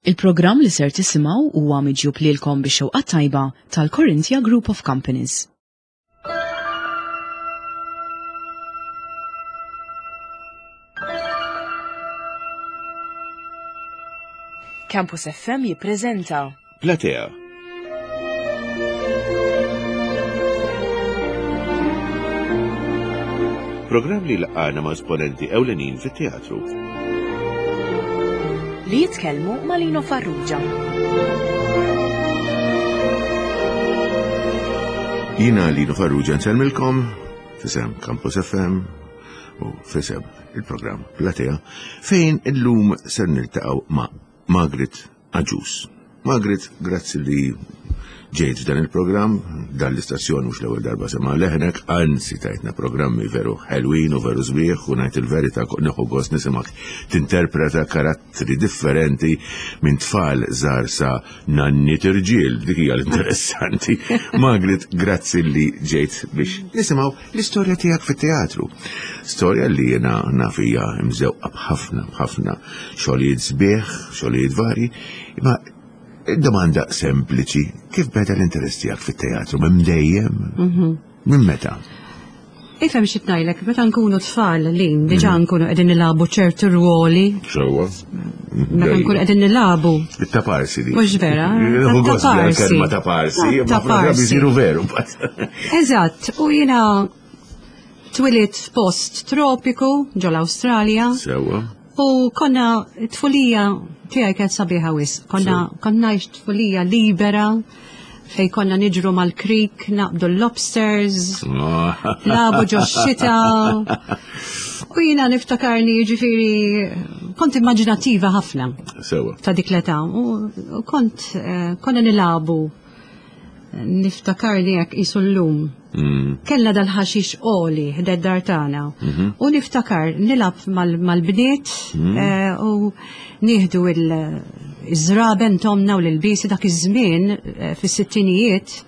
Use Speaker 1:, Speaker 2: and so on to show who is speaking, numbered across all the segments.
Speaker 1: Il-programm li ser tisimgħu huwa miġjub lilkom bix-xewqa tajba tal-Corinthia Group of Companies. Campus FM jippreżenta
Speaker 2: Platea. Programm li laqgħana ma' esponenti ewlenin fit-teatru.
Speaker 1: Li jitkellmu ma' Lino Farrugia.
Speaker 2: Jina Lino Farrugia nsellmilkom fisem Campus FM u fisem il-programm Platea fejn illum ser niltaqgħu ma' Margaret Agius. Margaret, grazzi li ġejt f'dan il-programm, dan l-istazzjon mhux l-ewwel darba sema' leħnek, anzi tajtna programmi veru ħelwin u veru sbieħ u ngħid il-verità nieħu gost nisimgħek tinterpreta karattri differenti minn tfal żgħar sa nanni tirġiel, dik hija l-interessanti. Margaret, grazzi li ġejt biex nisimgħu l-istorja tiegħek fit-teatru. Storja li jiena naf hija mżewqa b'ħafna b'ħafna xogħlijiet sbieħ, xogħlijiet varji, imma domanda sempliċi, kif beda l-interess tiegħek fit-teatru minn dejjem? Mhm. Minn meta?
Speaker 3: Ifhem xi tnajlek, meta nkunu tfal li diġà mm. nkunu qegħdin nilagħbu ċertu rwoli.
Speaker 2: Sewwa.
Speaker 3: Meta nkunu qegħdin nilagħbu.
Speaker 2: It-taparsi di.
Speaker 3: Mhux vera.
Speaker 2: Taparsi. Kelma taparsi, ma programmi jsiru veru.
Speaker 3: Eżatt, u jiena twilit f'post tropiku ġol-Awstralja.
Speaker 2: Sewwa.
Speaker 3: U konna tfulija tiegħi kienet sabiħa wisq. Konna konna tfulija libera fej konna niġru mal-creek, naqbdu l-lobsters, labu ġo xita. U jina niftakarni ġifiri, kont immaġinativa ħafna.
Speaker 2: Sewa.
Speaker 3: Ta' dik l-età. U kont, eh, konna nilabu niftakarni jekk isu l-lum. Mm. Kellna dal-ħaxix oli ħded dar tagħna. Mhm. U niftakar nilab mal-bniet mm. eh, u nieħdu il-żraben tomna u l-bisi dak iż-żmien eh, fis-sittinijiet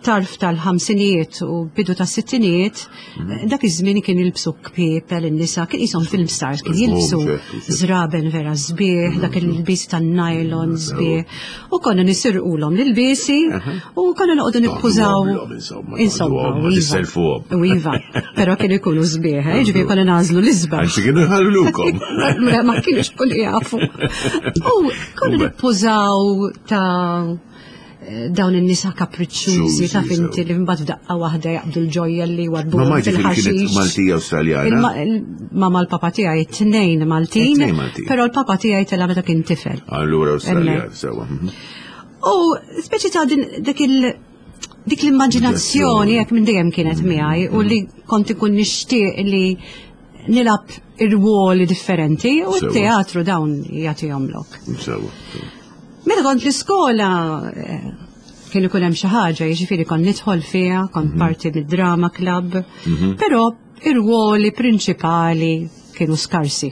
Speaker 3: tarf tal-ħamsinijiet u bidu tas-sittinijiet, mhm. dak iż-żmien kien jilbsu kpiepel in-nisa, kien qishom film stars, kien jilbsu żraben vera sbieħ, dak mhm. il-lbis tan-nylon sbieħ. U konna nisirqulhom l-ilbiesi u konna noqogħdu nippużaw.
Speaker 2: Insomma,
Speaker 3: iva. U iva, però kienu jkunu sbieħ, eh, ġifieri konna nagħżlu l-isbaħ.
Speaker 2: Anzi kienu jħallukom.
Speaker 3: Ma kienux kulli jafu. U konna nippużaw ta' dawn in-nisa kapriċċużi ta' finti li mbagħad f'daqqa waħda jaqbdu l-ġojja li wadbu
Speaker 2: Ma kienet Maltija Awstraljana.
Speaker 3: Mama l-papa tiegħi tnejn Maltin, però l-papa tiegħi tela meta kien tifel.
Speaker 2: Allura Awstraljan sewa. Mhm.
Speaker 3: U speċi ta' dik il dik l-immaġinazzjoni jekk minn dejjem kienet mhm. miegħi u li kont ikun nixtieq li nilab ir-ruoli differenti u t-teatru dawn jagħtihom lok.
Speaker 2: Sewa.
Speaker 3: Meta kont l-iskola eh, kien ikun hemm xi ħaġa, jiġifieri kont nidħol fiha, kont mhm. parti mid-drama club, mhm. però ir-ruoli prinċipali kienu skarsi.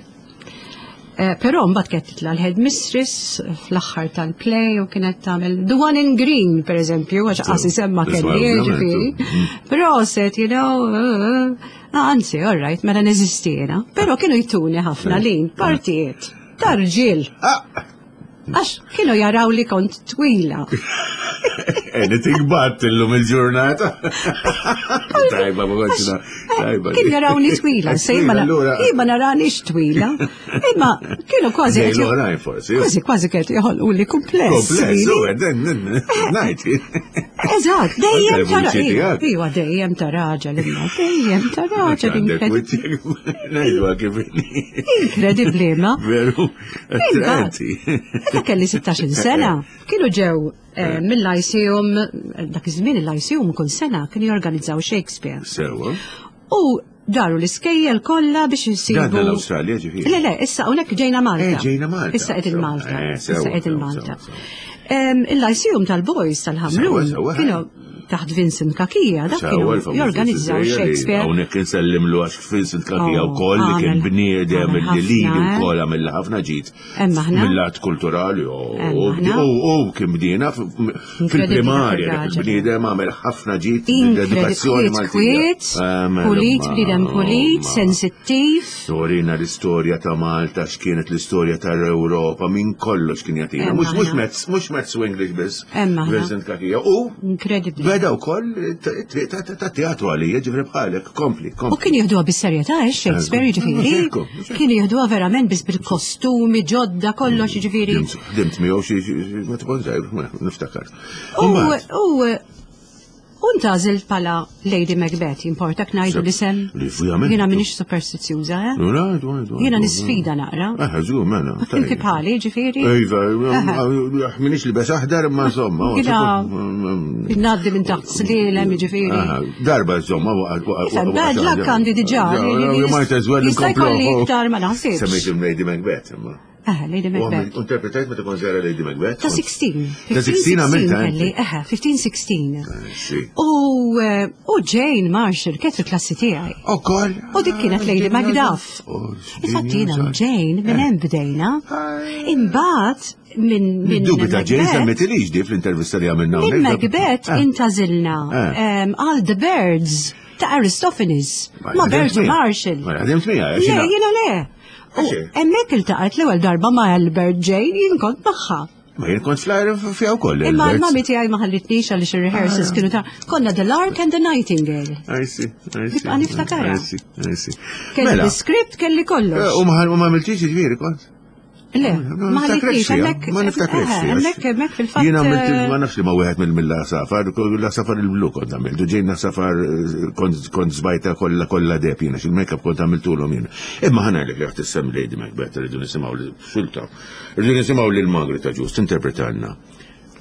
Speaker 3: Eh, però mbagħad kienet titla' l-head mistress fl-aħħar tal-play u kienet tagħmel The One in Green pereżempju, għax qas semma kelli jiġifieri. Mhm. Proset, you know, eh, eh, anzi, all right, mela neżisti jiena. Però kienu jtuni ħafna lin, partijiet, tarġiel.
Speaker 2: Ah!
Speaker 3: Għax kienu jaraw li kont twila.
Speaker 2: Anything but illum il-ġurnata. Tajba, ma kontx
Speaker 3: tajba. Kienu jarawni twila, sejma imma naranix twila. Imma kienu kważi.
Speaker 2: forsi.
Speaker 3: Kważi kważi kienet joħolqu li kumpless.
Speaker 2: Kumpless, u ngħid.
Speaker 3: Eżatt, dejjem ta' raġel. Iwa dejjem ta' raġel imma dejjem ta' raġel.
Speaker 2: Ngħidu kif.
Speaker 3: Inkredibbli ma.
Speaker 2: Veru. Attraenti.
Speaker 3: Meta kelli 16 sena, kienu ġew eh, eh. mill-Lyceum, dak iż-żmien il-Lyceum kull sena kienu jorganizzaw Shakespeare.
Speaker 2: Sewa.
Speaker 3: U daru l-iskejjel kollha biex insibu.
Speaker 2: Dan l-Awstralja ġifieri.
Speaker 3: Le, le, issa hawnhekk ġejna Malta.
Speaker 2: Eh, ġejna Malta.
Speaker 3: Issa qegħdin Malta. Issa qegħdin Malta. Il-Lyceum tal-Boys tal-Ħamrun kienu. Taħt Vincent Kakija, dak kienu jorganizzaw Shakespeare.
Speaker 2: Hawnhekk insellimlu għax Vincent Kakija oh, wkoll li kien bniedem li lili eh? wkoll għamilha ħafna ġid. Mill-lat kulturali u kien bdiena fil-primarja dak il-bniedem għamel ħafna ġid l-edukazzjoni
Speaker 3: Maltija. Pulit, bniedem pulit, sensittiv.
Speaker 2: Torina l-istorja ta' Malta, x'kienet l-istorja tal-Ewropa, minn kollox kien jagħtina. Mhux mhux mezz, mhux mezz u English biss. Vincent Kakija. U
Speaker 3: Incredible.
Speaker 2: Beda wkoll triq ta' teatru għalija, ġifri bħalek, kompli,
Speaker 3: kompli. U kien jieħduha bis-serjetà, eh, Shakespeare, eh, ġifieri. Kien jieħduha verament biss bil-kostumi ġodda kollox, ġifieri.
Speaker 2: Dimt miegħu xi ma tkun żgħir, niftakar.
Speaker 3: U U ntgħażilt bħala Lady Macbeth, jimportak ngħidu l-isem? Jiena m'iniex superstizzjuża, eh? Jiena nisfida naqra.
Speaker 2: Eh, żgur mela.
Speaker 3: Inti bħali, ġifieri?
Speaker 2: Iva, m'iniex li bes aħdar imma insomma.
Speaker 3: Jiena ngħaddi minn taħt slielem, ġifieri.
Speaker 2: Darba insomma
Speaker 3: waqgħet. Bad luck għandi diġà.
Speaker 2: Might as well
Speaker 3: inkomplu. Iktar ma naħsibx.
Speaker 2: Semmejt Lady Macbeth imma.
Speaker 3: Eh, Lady Macbeth.
Speaker 2: U interpretajt meta kont żgħira Lady Macbeth?
Speaker 3: Ta' 16.
Speaker 2: Ta' 16 għamilta.
Speaker 3: Kelli, eħe, 15-16. U eh, u Jane Marshall kienet fil-klassi tiegħi.
Speaker 2: Ukoll.
Speaker 3: U dik kienet Lady Macduff.
Speaker 2: Oh,
Speaker 3: Infatti jiena u Jane minn hemm bdejna. Imbagħad minn minn
Speaker 2: Dubi ta' Jane semmetilix di fl-intervista li għamilna.
Speaker 3: Minn Macbeth
Speaker 2: eh.
Speaker 3: intażilna
Speaker 2: eh.
Speaker 3: ehm, għal The Birds ta' Aristophanes ma' Bert Marshall.
Speaker 2: Ma ħadimt miegħi.
Speaker 3: Le, jiena le. U hemmhekk iltaqgħet l-ewwel darba ma' Albert Jane jien kont magħha.
Speaker 2: Ma jien kont fl-ajru fiha wkoll.
Speaker 3: Imma l-mami tiegħi ma ħallitnix għaliex ir-rehearsals ah. kienu ta' konna The Lark and the Nightingale.
Speaker 2: I see, I see.
Speaker 3: Nibqa' niftakarha.
Speaker 2: I see, I see.
Speaker 3: Kelli
Speaker 2: Mela.
Speaker 3: l-iskript kelli kollox.
Speaker 2: Eh, u ma għamiltix ġifieri kont?
Speaker 3: Le, ma ħallitnix hemmhekk.
Speaker 2: Ma niftakrx.
Speaker 3: Eh, hemmhekk hemmhekk fil-fatt.
Speaker 2: Jiena għamilt
Speaker 3: eh,
Speaker 2: ma nafx li ma wieħed mill-safar, la safar il-blu kont għamilt, u ġejna safar eh, kont żbajta kollha kollha deb jiena, xil-makeup kont għamiltulhom jiena. Imma ħana li qed tissem Lady Macbeth rridu nisimgħu li xulta. Rridu nisimgħu lil Magri ta' Ġust interpretalna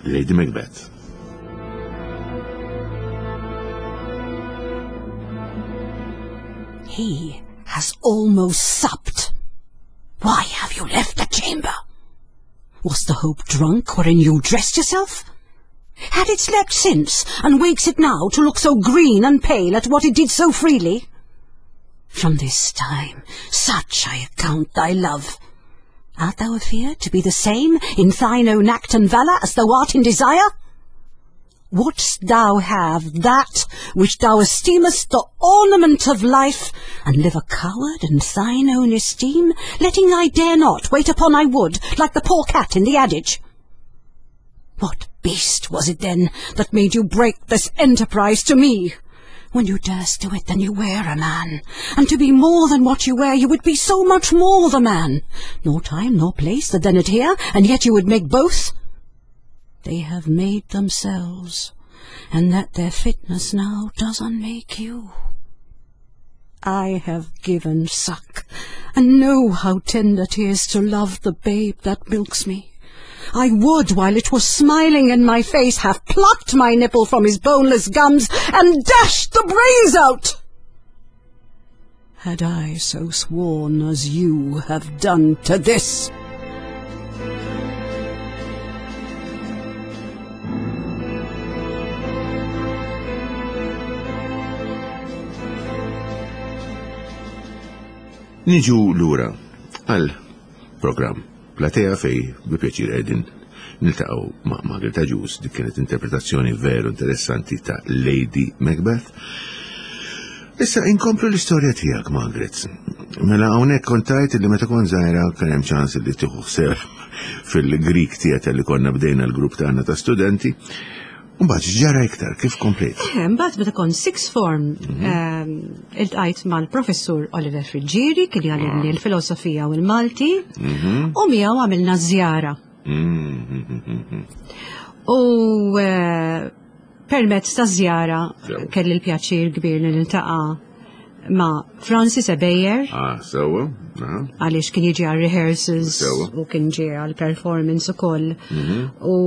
Speaker 2: Lady Macbeth.
Speaker 4: He has almost supped. Why have you left the chamber? Was the hope drunk wherein you dressed yourself? Had it slept since, and wakes it now to look so green and pale at what it did so freely? From this time, such I account thy love. Art thou afeard to be the same in thine own act and valour as thou art in desire? Wouldst thou have that which thou esteemest the ornament of life, and live a coward in thine own esteem, letting thy dare not wait upon I would, like the poor cat in the adage? What beast was it then that made you break this enterprise to me? When you durst do it, then you were a man, and to be more than what you were, you would be so much more the man. Nor time nor place that then adhere, and yet you would make both. They have made themselves, and that their fitness now does unmake you. I have given suck, and know how tender 'tis to love the babe that milks me. I would, while it was smiling in my face, have plucked my nipple from his boneless gums and dashed the brains out. Had I so sworn as you have done to this.
Speaker 2: Niġu lura għal program Platea fej bi pjaċir qegħdin niltaqgħu ma' Margaret Agius, dik kienet interpretazzjoni veru interessanti ta' Lady Macbeth. Issa inkomplu l-istorja tiegħek, Margaret. Mela hawnhekk kontajt li meta kont żgħira kien hemm ċans li tieħu ħsieb fil-Greek Theater li konna bdejna l-grupp tagħna ta' studenti. Mbagħad ġara iktar, kif komplejt?
Speaker 3: Eh, mbagħad meta kont sixth form mhm. ehm, iltqajt mal-professur Oliver Friggieri kien jgħallimni ah. l-filosofija u l-Malti mhm. u miegħu għamilna żjara.
Speaker 2: Mhm.
Speaker 3: U eh, permezz ta' żjara kelli l-pjaċir kbir li niltaqa' ma' Francis Ebejer.
Speaker 2: Ah, sewa.
Speaker 3: Għaliex kien jiġi għal rehearsals u kien ġie għal performance ukoll. U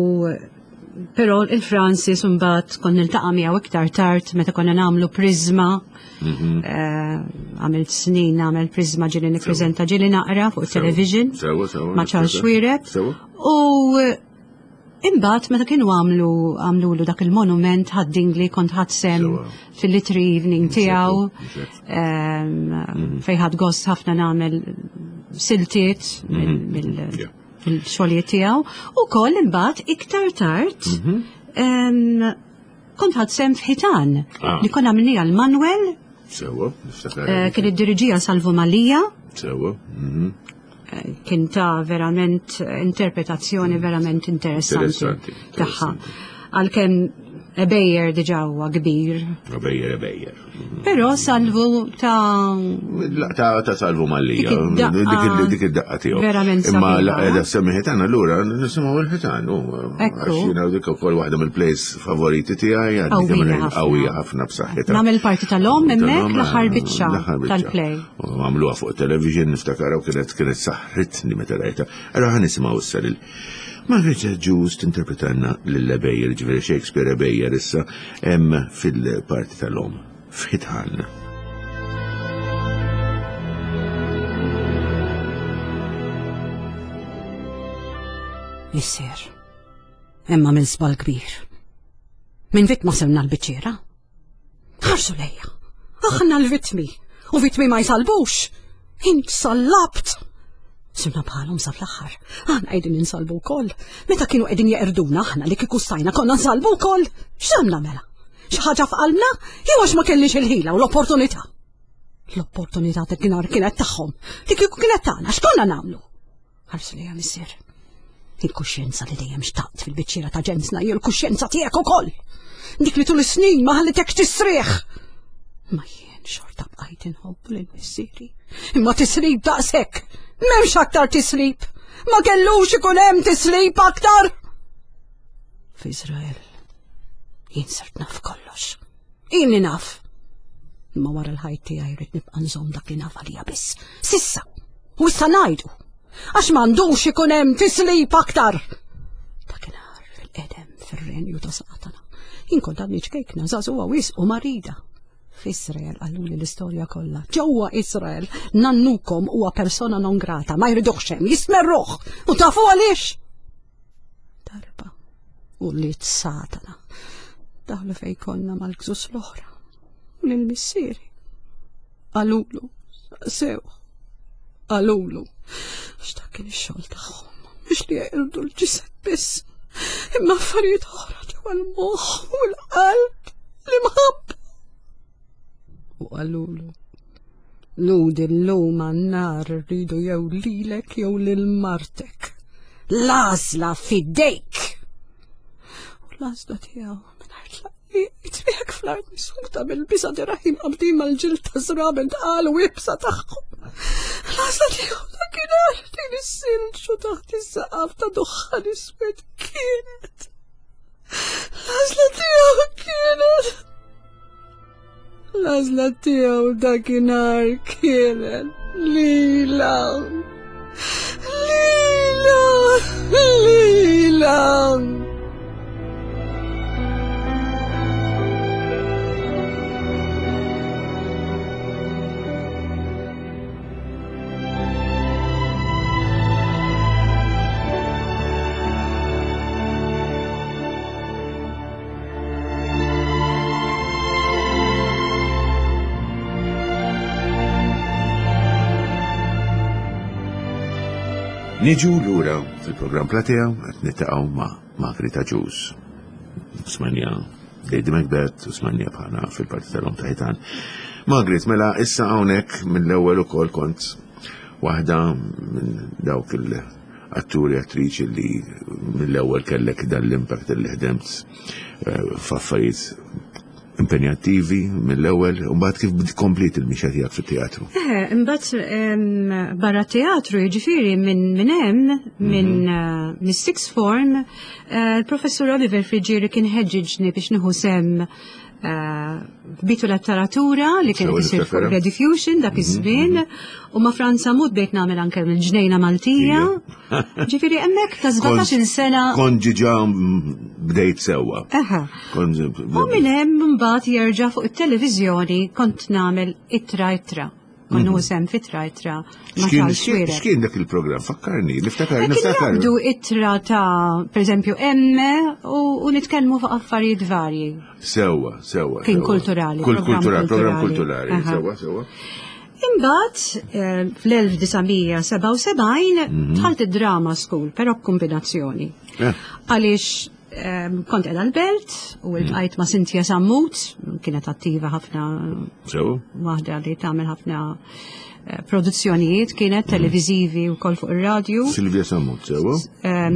Speaker 3: Però il-Francis mbagħad kont niltaqa' miegħu iktar tard meta konna nagħmlu Prisma. Mhm. Eh, għamilt snin nagħmel Prisma ġieli nippreżenta ġieli naqra fuq television.
Speaker 2: Sewa, sewa.
Speaker 3: Ma' Charles Xuereb. U eh, Imbagħad meta kienu għamlu għamlulu dak il-monument ħaddingli kont ħadd sem fil-litri evening tiegħu mhm. fejn ħadd gost ħafna nagħmel siltiet mhm. mill-xogħlijiet tiegħu u koll imbagħad iktar tard mhm. kont ħadd sem f'ħitan ah. li konna għamilniha l-Manuel.
Speaker 2: Sewa, niftakar.
Speaker 3: Eh, kien id-diriġija Salvu Malija.
Speaker 2: Sewa.
Speaker 3: Kien ta' verament interpretazzjoni verament interessanti tagħha. Għalkemm Ebejjer diġà huwa kbir.
Speaker 2: Ebejjer, Ebejjer.
Speaker 3: Però Salvu ta'
Speaker 2: Ta' ta' Salvu Mallija. Dik id-daqqa tiegħu.
Speaker 3: Verament.
Speaker 2: Imma la semmi ħitan allura nisimgħu l-ħitan.
Speaker 3: Ekku.
Speaker 2: Jiena dik ukoll waħda mill-plays favoriti tiegħi għadni qawwija ħafna b'saħħitha.
Speaker 3: Nagħmel parti tal-omm hemmhekk l-aħħar biċċa tal-play.
Speaker 2: U għamluha fuq television niftakar u kienet kienet saħħritni meta rajta. Allora ħa nisimgħu issa lil Margaret Agius tinterpretanna lil Ebejjer, ġifieri Shakespeare Ebejjer issa hemm fil-parti tal-omm f'Ħitħan.
Speaker 4: Missier, imma minn żball kbir. Minn vittma sirna l-biċċiera. Ħarsu lejja. Aħna l-vittmi. U vittmi ma jsalbux. Int sallabt. Sirna bħalhom sa fl-aħħar. Aħna qegħdin insalbu wkoll. Meta kienu qegħdin jeqrduna aħna li kieku stajna konna nsalbu wkoll. X'għamla mela? Xi ħaġa f'qalbna jew għax ma kellniex il-ħila u l-opportunità? L-opportunità ta' kienet tagħhom. Li kieku kienet tagħna x'konna nagħmlu? Ħarsu lejha missier. Il-kuxjenza li dejjem xtaqt fil-biċċiera ta' ġensna hi l-kuxjenza tiegħek ukoll. Dik li tul is-snin ma ħallitekx tisrieħ. Ma jien xorta bqajt inħobbu lil missieri. Imma tislib daqshekk. M'hemmx aktar tislib. Ma kellux ikun hemm tislib aktar. F'Iżrael jien sirt naf kollox. Ili naf. Imma wara l-ħajt tiegħi rrid nibqa' nżomm dak li naf għalija biss. Sissa. U issa ngħidu. Għax m'għandux ikun hemm tislib aktar. Dakinhar fil-qedem fir-renju ta' Satana. Jien kont għadni ċkejkna, żagħżugħa wisq u marida. F'Israel qaluli l-istorja kollha. Ġewwa Israel, nannukom huwa persona non grata, ma jriduhx hemm, jistmerruh. U tafu għaliex? Darba u li Satana daħlu fej konna mal-gżus l-oħra u lil missieri. Qalulu, sew, qalulu, għax dak kien ix-xogħol tagħhom biex li jeqirdu l-ġisem biss. Imma affarijiet oħra ġewwa l-moħħ u l-qalb l-imħabba. U qalulu, Ludi llum għan-nar rridu jew lilek jew lil martek. L-għażla fidejk! U l-għażla tiegħu mingħajr tlaqliq jitriek fl-art misuta bil-biża' dirahim qabdin mal-ġild ta' żraben tqal u ibsa tagħhom. L-għażla tiegħu dakinhar din is-silġ u taħt is-saqaf ta' duħħan iswed kienet. L-għażla tiegħu kienet. L-għażla tiegħu dakinhar kienet lila. Lila, lila.
Speaker 2: Niġu lura fil-programm Platea qed nitaqgħu ma' Margarita Ġus. Smanja Lady Macbeth u smanja bħala fil-parti tal-om ta' ħitan. Margaret, mela issa hawnhekk mill-ewwel ukoll kont waħda minn dawk il- atturi attriċi li mill-ewwel kellek dan l-impact li ħdemt eh, f'affarijiet impenjattivi mill-ewwel u mbagħad kif komplit il-mixja tiegħek fit-teatru.
Speaker 3: Eh, imbagħad barra teatru jiġifieri minn minn hemm minn mhm. eh, mis-sixth form eh, il-professur Oliver Friġieri kien ħeġġiġni biex nieħu sem Bitu letteratura li kien isir fuq Rediffusion dak mhm, iż-żmien mhm. u ma' Franza Mut bejt nagħmel anke mill-ġnejna Maltija. Ġifieri hemmhekk ta' 17-il sena.
Speaker 2: Kont ġiġa bdejt sewwa.
Speaker 3: U minn hemm mbagħad jerġa' fuq it-televiżjoni kont nagħmel ittra ittra. kont nieħu sehem f'ittra ittra ma' Charles Xuereb.
Speaker 2: X'kien dak il-programm? Fakkarni, niftakar,
Speaker 3: Kien
Speaker 2: niftakar.
Speaker 3: jgħaddu ittra ta' pereżempju emme u nitkellmu fuq affarijiet varji.
Speaker 2: Sewwa, sewwa.
Speaker 3: Kien
Speaker 2: sewwa.
Speaker 3: kulturali,
Speaker 2: Kul
Speaker 3: programm
Speaker 2: kulturali, programm
Speaker 3: kulturali.
Speaker 2: kulturali,
Speaker 3: Aha.
Speaker 2: sewwa, sewwa.
Speaker 3: Imbagħad fl-1977 dħalt id-drama school, però b'kombinazzjoni. Għaliex kont qiegħda l-belt u ltqajt ma' Cynthia Sammut, kienet attiva ħafna
Speaker 2: Sew.
Speaker 3: waħda li tagħmel ħafna produzzjonijiet, kienet televiżivi wkoll fuq ir-radju.
Speaker 2: Silvia Sammut, sewwa?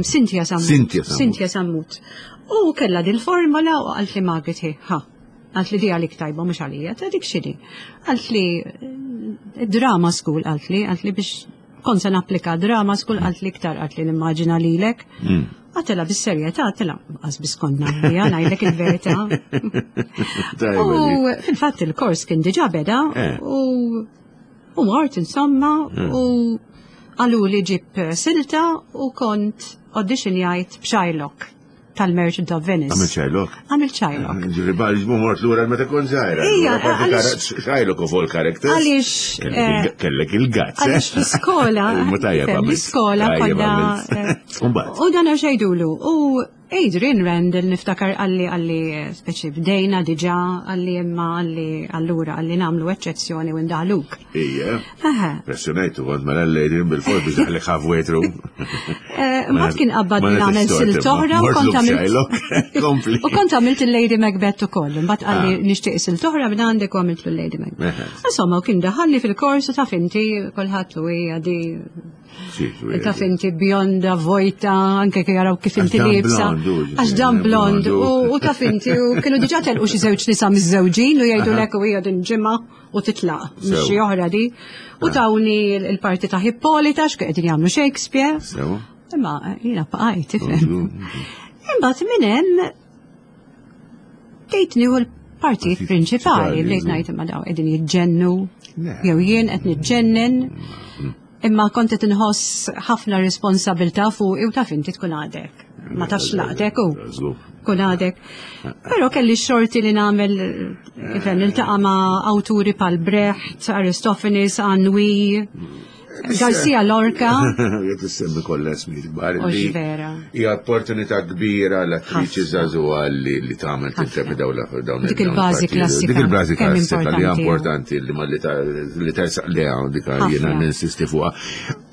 Speaker 3: Cynthia Sammut.
Speaker 2: Cynthia Sammut.
Speaker 3: Cynthia Sammut. U kellha dil-formola u qalt li Margaret hi, ha. Qalt li di għalik tajba mhux għalija, ta' dik x'inhi. Qalt li drama school qalt li, qalt li biex kont se napplika drama school qalt li iktar qalt li nimmaġina lilek. Għatela bis-serjetà, għatela qas biss kont nagħmilha, ngħidlek il-verità.
Speaker 2: Tajba
Speaker 3: U
Speaker 2: di.
Speaker 3: fil-fatt il-kors kien diġà beda u u mort insomma u qalu li ġib silta u kont auditionjajt b'Shylock tal-Merchant of Venice.
Speaker 2: Għamil Shylock?
Speaker 3: Għamil Shylock.
Speaker 2: Ġifieri bħal ġbu mort lura meta kont żgħira.
Speaker 3: Ija,
Speaker 2: Allura parti
Speaker 3: għaliex-
Speaker 2: Shylock of all characters.
Speaker 3: Għaliex,
Speaker 2: Kellek il-gazz.
Speaker 3: Għaliex l-iskola,
Speaker 2: Imma tajjeb
Speaker 3: fem,
Speaker 2: għamilt.
Speaker 3: l-iskola
Speaker 2: Tajjeb
Speaker 3: konna.
Speaker 2: għamilt. Imbagħad.
Speaker 3: U dan xejn U Adrian Randall niftakar għalli għalli speċi bdejna diġà għalli imma għalli allura għalli nagħmlu eċċezzjoni u ndaħluk.
Speaker 2: Ija.
Speaker 3: Aha.
Speaker 2: Pressjonajtu kont mela l-Adrian bil-fors biex daħlek halfway through.
Speaker 3: Mbagħad kien qabbad
Speaker 2: Ma
Speaker 3: nagħmel
Speaker 2: nagħtix
Speaker 3: sil
Speaker 2: tort,
Speaker 3: toħra u
Speaker 2: imma
Speaker 3: kont
Speaker 2: mort
Speaker 3: għamilt.
Speaker 2: Shylock. Kompli.
Speaker 3: U kont għamilt il-Lady Macbeth ukoll. Mbagħad qalli
Speaker 2: Ah.
Speaker 3: nixtieq sil toħra minn għandek u għamilt l-Lady Macbeth.
Speaker 2: Eħe.
Speaker 3: Insomma, u kien daħalni fil-kors u taf inti kulħadd u hija di
Speaker 2: Sì, sì,
Speaker 3: Taf inti bjonda, vojta, anke kif jaraw kif
Speaker 2: Għax
Speaker 3: inti
Speaker 2: dan
Speaker 3: liebsa.
Speaker 2: blond, u
Speaker 3: Għax dan
Speaker 2: ġifieri,
Speaker 3: blond,
Speaker 2: blond,
Speaker 3: u u taf inti, u kienu diġà telqu xi żewġ nisa miż-żewġin u jgħidulek u hija din ġimgħa u titlaq minn xi
Speaker 2: Sew.
Speaker 3: oħra di. U tawni l-parti ta' Hippolita x'kienu qegħdin jagħmlu Shakespeare.
Speaker 2: Sew.
Speaker 3: Imma jiena bqajt, tifhem. Imbagħad minn hemm bdejt nieħu l-partijiet
Speaker 2: Partit
Speaker 3: prinċipali,
Speaker 2: prinċipali,
Speaker 3: bdejt
Speaker 2: żgur.
Speaker 3: ngħid imma daw qegħdin jiġġennu,
Speaker 2: Le.
Speaker 3: jew jien qed niġġennen. Imma kont qed inħoss ħafna responsabilità fuqi u taf inti tkun għadek. Ma tafx laqtek u
Speaker 2: Żgur.
Speaker 3: kun għadek. Però kelli xorti li nagħmel ifhem niltaqa' ma' awturi bħal Brecht, Aristophanes, Anouilh, Garcia Lorca.
Speaker 2: Jek tissemmi kollha ismijiet kbar
Speaker 3: Mhux
Speaker 2: li
Speaker 3: vera.
Speaker 2: Hija opportunità kbira l-attriċi
Speaker 3: Ħafna.
Speaker 2: żagħżugħa li li tagħmel tinterpreta dawn l- dawn
Speaker 3: Dik
Speaker 2: dawn
Speaker 3: il-bażi
Speaker 2: il-partijiet.
Speaker 3: klassika.
Speaker 2: Dik il-bażi
Speaker 3: Kemm
Speaker 2: klassika li hija
Speaker 3: importanti.
Speaker 2: importanti li ma li ta- li tersaq leha dik jiena
Speaker 3: Ħafna.
Speaker 2: ninsisti fuqha.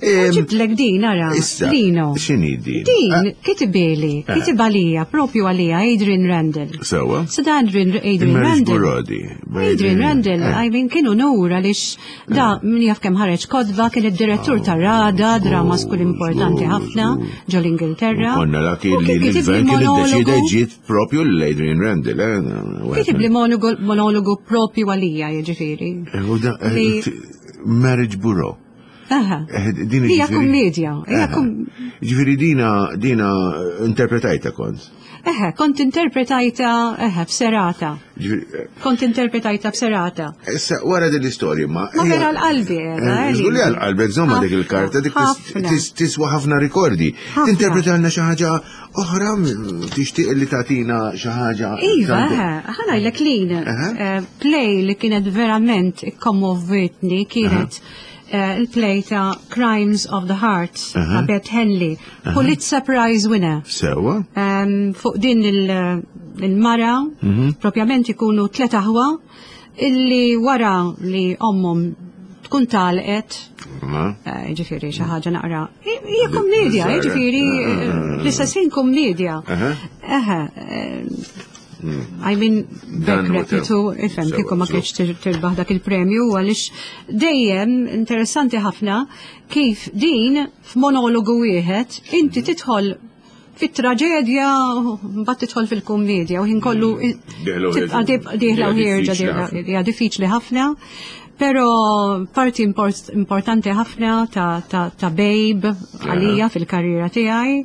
Speaker 3: Ġibtlek din, ara,
Speaker 2: Issa,
Speaker 3: Lino.
Speaker 2: x'inhi din?
Speaker 3: Din, kitibili, kitib għalija, propju għalija, Adrian Randall.
Speaker 2: Sewwa.
Speaker 3: So da Adrian, Adrian
Speaker 2: Il-Marriage
Speaker 3: Randall.
Speaker 2: Burodi.
Speaker 3: Adrian Randall,
Speaker 2: Eh.
Speaker 3: I mean, kienu nur għaliex da min jaf kemm ħareġ kotba, kien id-direttur ta' Rada, drama school importanti ħafna, ġol Ingilterra.
Speaker 2: Konna laki
Speaker 3: U
Speaker 2: li
Speaker 3: kien kitib li
Speaker 2: l-gvern kien iddeċida
Speaker 3: monologu-
Speaker 2: ġiet propju l-Adrian Randall. eh,
Speaker 3: Kitib li monologu- monologu propju għalija, jiġifieri.
Speaker 2: U da- eh,
Speaker 3: Li-
Speaker 2: Marriage Bureau.
Speaker 3: Aha.
Speaker 2: Eh, Din
Speaker 3: Hija
Speaker 2: ġifieri-
Speaker 3: kummedja, hija
Speaker 2: Aha.
Speaker 3: kum-
Speaker 2: Ġifieri dina dina interpretajta kont.
Speaker 3: Eħe, kont interpretajta, eħe, f'serata.
Speaker 2: Ġifieri, eh,
Speaker 3: Kont interpretajta f'serata.
Speaker 2: Issa, wara din l-istorja ma.
Speaker 3: Ma vera l-qalbi, eh,
Speaker 2: Żgur li għal-qalbek, żomma dik
Speaker 3: Ħafna,
Speaker 2: il-karta, dik
Speaker 3: ħafna.
Speaker 2: tiswa ħafna rikordi.
Speaker 3: Ħafna.
Speaker 2: Tinterpretalna xi ħaġa oħra, tixtieq li tagħtina xi ħaġa.
Speaker 3: Iva, eħe, ħanajlek lin,
Speaker 2: Aha.
Speaker 3: play li kienet verament ikkommovitni kienet il-play ta' Crimes of the Heart ta' Beth Henley, Pulitzer Prize winner.
Speaker 2: Sewwa.
Speaker 3: Fuq din il-mara, propjament ikunu tlet aħwa, illi wara li ommhom tkun talqet,
Speaker 2: Ma.
Speaker 3: ġifieri xi ħaġa naqra. Hija kummedja,
Speaker 2: Żgħira.
Speaker 3: ġifieri l-istess ħin kummedja.
Speaker 2: Aha.
Speaker 3: Eħe, I mean,
Speaker 2: Dan
Speaker 3: dak
Speaker 2: huwa
Speaker 3: repitu, ifhem,
Speaker 2: Sewa,
Speaker 3: kieku ma
Speaker 2: sewa.
Speaker 3: kienx tirbaħ dak il-premju, għaliex dejjem interessanti ħafna kif din f'monologu wieħed inti tidħol fit-traġedja mbagħad tidħol fil-kummedja u ħin kollu
Speaker 2: Dieħla u
Speaker 3: tibqa'
Speaker 2: ħierġa.
Speaker 3: tibqa' dieħla u
Speaker 2: Hija
Speaker 3: ħierġa
Speaker 2: diffiċli
Speaker 3: dieħla-
Speaker 2: ħafna.
Speaker 3: hija diffiċli ħafna. Però parti importanti ħafna ta', ta Babe għalija fil-karriera tiegħi.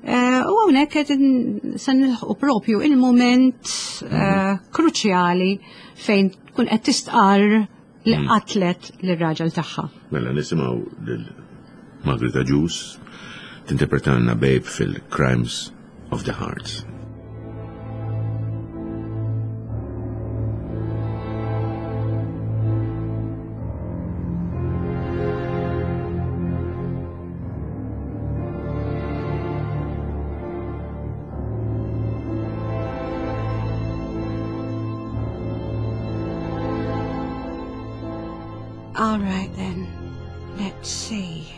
Speaker 3: U hawnhekk qed se nilħqu propju il-moment kruċjali fejn tkun qed tistqarr li qatlet lir-raġel tagħha.
Speaker 2: Mela nisimgħu lil Margaret Agius tinterpretalna Babe fil-Crimes of the Heart.
Speaker 3: All right then. Let's see.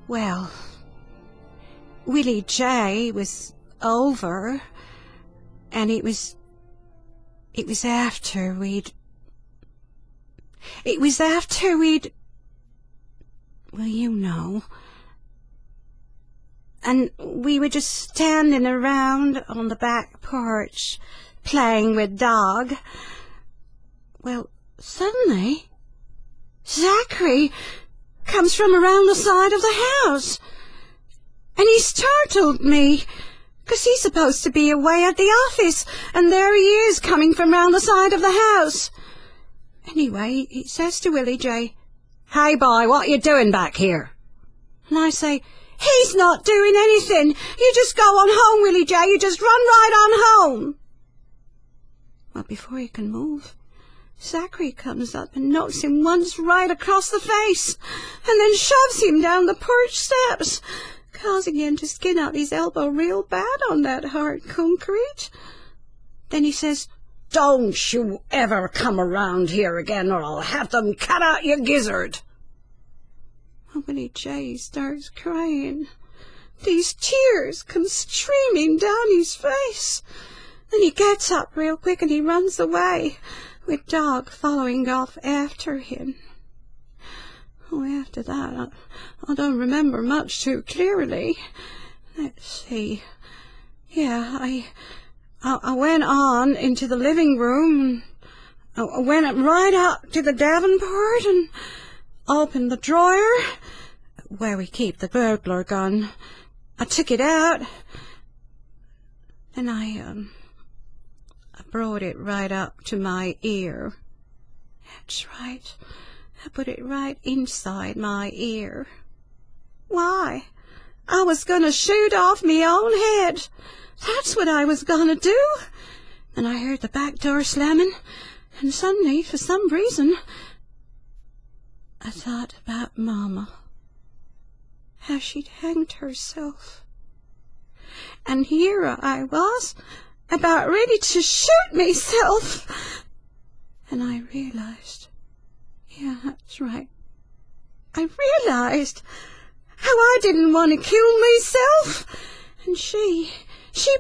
Speaker 3: Well, Willie J was over, and it was. It was after we'd. It was after we'd. Well, you know. And we were just standing around on the back porch, playing with dog. Well, suddenly, Zachary comes from around the side of the house. And he startled me, 'cause he's supposed to be away at the office, and there he is coming from round the side of the house. Anyway, he says to Willie J, Hey, boy, what you doing back here? And I say, He's not doing anything. You just go on home, Willie J. You just run right on home. Well, before he can move, Zachary comes up and knocks him once right across the face, and then shoves him down the porch steps, causing him to skin out his elbow real bad on that hard concrete. Then he says, Don't you ever come around here again, or I'll have them cut out your gizzard. Well, Willie J starts crying. These tears come streaming down his face. Then he gets up real quick and he runs away, with Dog following off after him. Oh, after that, I don't remember much too clearly. Let's see. Yeah, I went on into the living room. I went right up to the davenport and opened the drawer where we keep the burglar gun. I took it out. Then I brought it right up to my ear. That's right. I put it right inside my ear. Why? I was going to shoot off me own head. That's what I was going to do. Then I heard the back door slamming, and suddenly, for some reason, I thought about Mama. How she'd hanged herself. And here I was, about ready to shoot myself. And I realized, yeah, that's right, I realized how I didn't want to kill myself. And she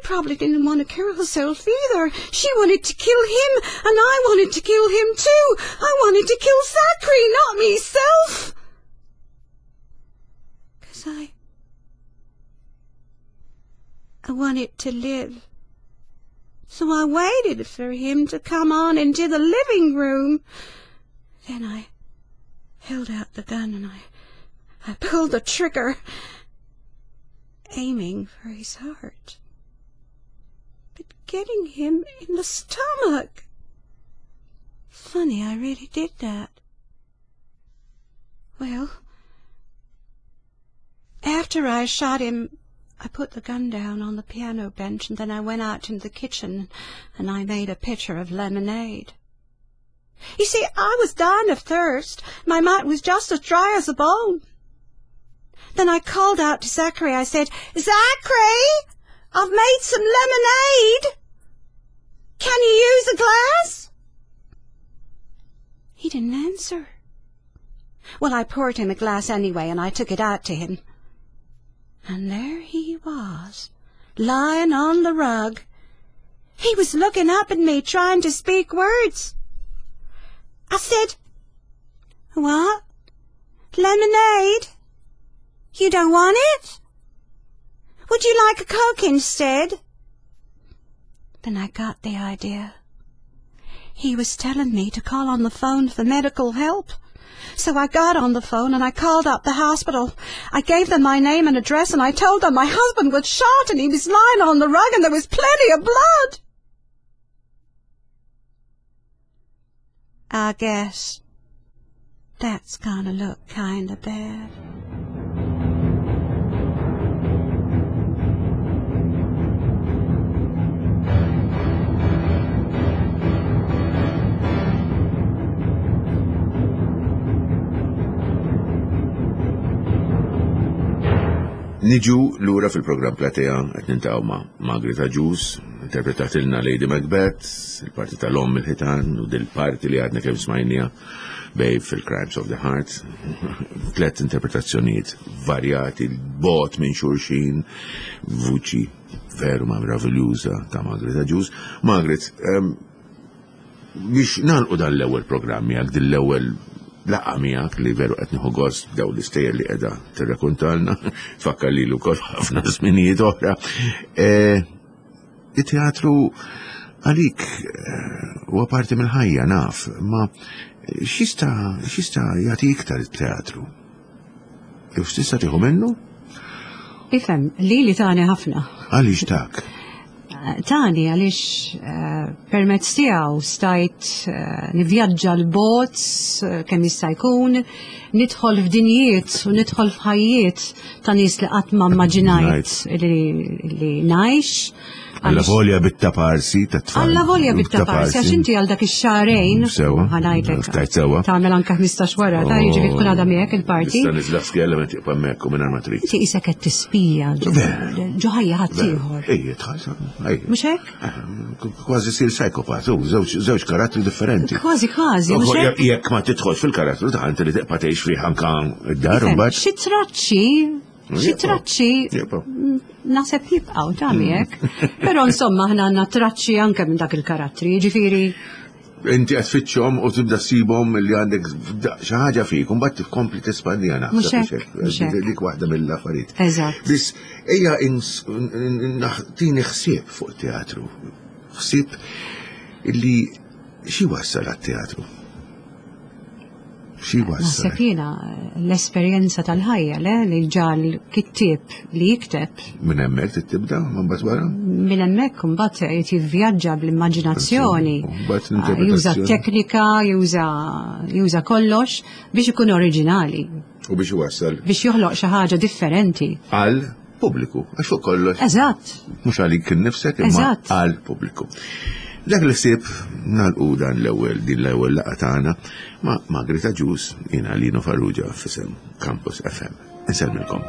Speaker 3: probably didn't want to kill herself either. She wanted to kill him, and I wanted to kill him too. I wanted to kill Zachary, not myself. 'Cause I wanted to live. So I waited for him to come on into the living room. Then I held out the gun and I pulled the trigger, aiming for his heart, but getting him in the stomach. Funny, I really did that. Well, after I shot him, I put the gun down on the piano bench, and then I went out into the kitchen and I made a pitcher of lemonade. You see, I was dying of thirst. My mouth was just as dry as a bone. Then I called out to Zachary. I said, Zachary, I've made some lemonade. Can you use a glass? He didn't answer. Well, I poured him a glass anyway, and I took it out to him. And there he was, lying on the rug. He was looking up at me, trying to speak words. I said, What? Lemonade? You don't want it? Would you like a Coke instead? Then I got the idea. He was telling me to call on the phone for medical help. So I got on the phone and I called up the hospital. I gave them my name and address and I told them my husband was shot and he was lying on the rug and there was plenty of blood. I guess that's gonna look kinda bad.
Speaker 2: Niġu lura fil-programm Platea qed nintaqgħu ma' Margaret Agius, interpretatilna Lady Macbeth, il-parti tal-omm il-ħitan u dil-parti li għadna kemm smajnija Babe fil-Crimes of the Heart. Tlet interpretazzjonijiet varjati, bot minn xulxin, vuċi veru ma' meraviljuża ta' Margaret Agius. Margaret, biex nagħlqu dan l-ewwel programm miegħek, din l-ewwel laqgħa miegħek li veru qed nieħu gost daw l-istejjer li qiegħda tirrakuntalna, tfakkar lilu wkoll ħafna żminijiet oħra. E, it-teatru għalik e, huwa parti mill-ħajja naf, ma x'jista' x'jista' jagħti iktar it-teatru? Jew x'tista' tieħu minnu?
Speaker 3: Ifhem, li li tani ħafna.
Speaker 2: Għaliex tak?
Speaker 3: Tani għaliex eh, permezz tiegħu stajt eh, nivvjaġġa l-bot eh, kemm jista' jkun, nidħol f'dinjiet u nidħol f'ħajjiet ta' nies li qatt ma immaġinajt li ngħix.
Speaker 2: Alla volja bit-taparsi ta' tfal.
Speaker 3: Alla volja bit-taparsi, għax inti għal dak ix-xahrejn. Mm,
Speaker 2: sewa. Ħanajtek. Tajt sewa.
Speaker 3: Tagħmel anke 15 wara, ta' jiġifieri tkun għadha miegħek il-parti.
Speaker 2: Nista' niżla skella meta tibqa' hemmhekk u mingħajr ma trid.
Speaker 3: Inti qisek qed tispija ġo ħajja ħadd ieħor.
Speaker 2: Ejja, tħallsa.
Speaker 3: Mhux hekk?
Speaker 2: Eh, kważi sir psikopat, żewġ karattri differenti.
Speaker 3: Kważi kważi.
Speaker 2: Jekk ma tidħolx fil-karattru ta' inti li tibqa' tgħix fih anke d-dar imbagħad.
Speaker 3: Xi traċċi Xi traċċi naħseb jibqgħu ta' miegħek. Però insomma aħna għandna traċċi anke minn dak il-karattri, jiġifieri
Speaker 2: inti qed tfittxhom u tibda ssibhom li għandek xi ħaġa fik, u mbagħad tkompli tespandija naħseb. Dik waħda mill-affarijiet.
Speaker 3: Eżatt.
Speaker 2: Biss ejja tini ħsieb fuq teatru. Ħsieb li xi wassal għat-teatru. Xi wassal?
Speaker 3: Naħseb jiena l-esperjenza tal-ħajja le li ġal kittieb li jikteb.
Speaker 2: Minn hemmhekk tibda mbagħad wara?
Speaker 3: Minn hemmhekk imbagħad qed jivvjaġġa bl-immaġinazzjoni. Ah, juża teknika, juża juża kollox biex ikun oriġinali.
Speaker 2: U biex iwassal.
Speaker 3: Biex joħloq xi ħaġa differenti.
Speaker 2: Għal pubbliku, għax fuq kollox.
Speaker 3: Eżatt.
Speaker 2: Mhux għalik innifsek imma għal pubbliku. Dak li ħsieb nagħlqu dan l-ewwel din l-ewwel laqgħa tagħna ma' Margaret Agius jiena Lino Farrugia f'isem Campus FM. Insellmilkom.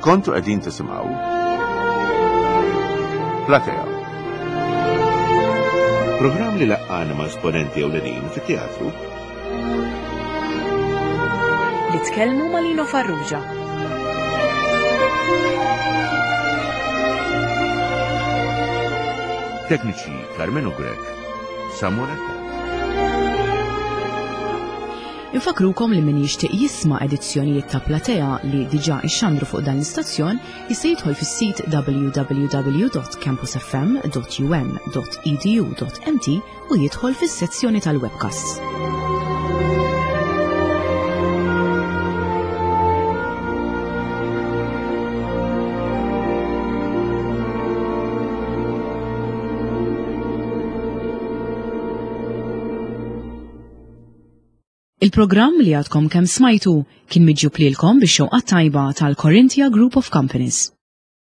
Speaker 2: Kontu qegħdin tisimgħu Platea. Programm li laqqana ma' esponenti ewlenin fit-teatru.
Speaker 1: Li tkellmu ma' Lino Farrugia.
Speaker 2: Tekniċi Carmenu Grech, Samuel Attard.
Speaker 1: Infakrukom li min jixtieq jisma' edizzjonijiet ta' Platea li diġà ixxandru fuq dan l-istazzjon jista' jidħol fis-sit www.campusfm.um.edu.mt u jidħol fis-sezzjoni tal-webcasts. Il-programm li għadkom kemm smajtu kien miġjub lilkom bix-xewqa tajba tal-Corinthia Group of Companies.